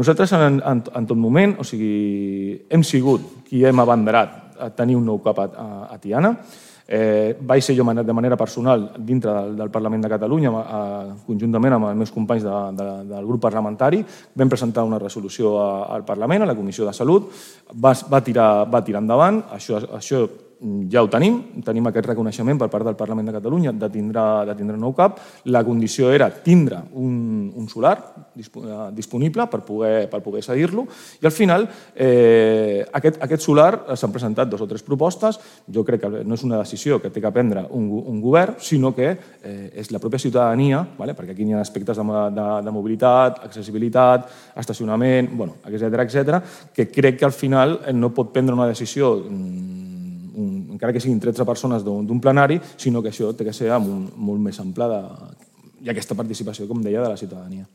Nosaltres en tot moment, o sigui, hem sigut qui hem abanderat a tenir un nou CAP a Tiana. Vaig ser jo de manera personal dintre del Parlament de Catalunya, conjuntament amb els meus companys del grup parlamentari. Vam presentar una resolució al Parlament, a la Comissió de Salut, va tirar endavant, això ja ho tenim aquest reconeixement per part del Parlament de Catalunya de tindre un nou CAP. La condició era tindre un solar disponible per poder cedir-lo i al final aquest solar s'han presentat 2 o 3 propostes. Jo crec que no és una decisió que té que prendre un govern, sinó que és la pròpia ciutadania, perquè aquí hi ha aspectes de mobilitat, accessibilitat, estacionament, etcètera, que crec que al final no pot prendre una decisió encara que siguin 13 persones d'un plenari, sinó que això té que ser molt més ample i aquesta participació, com deia, de la ciutadania.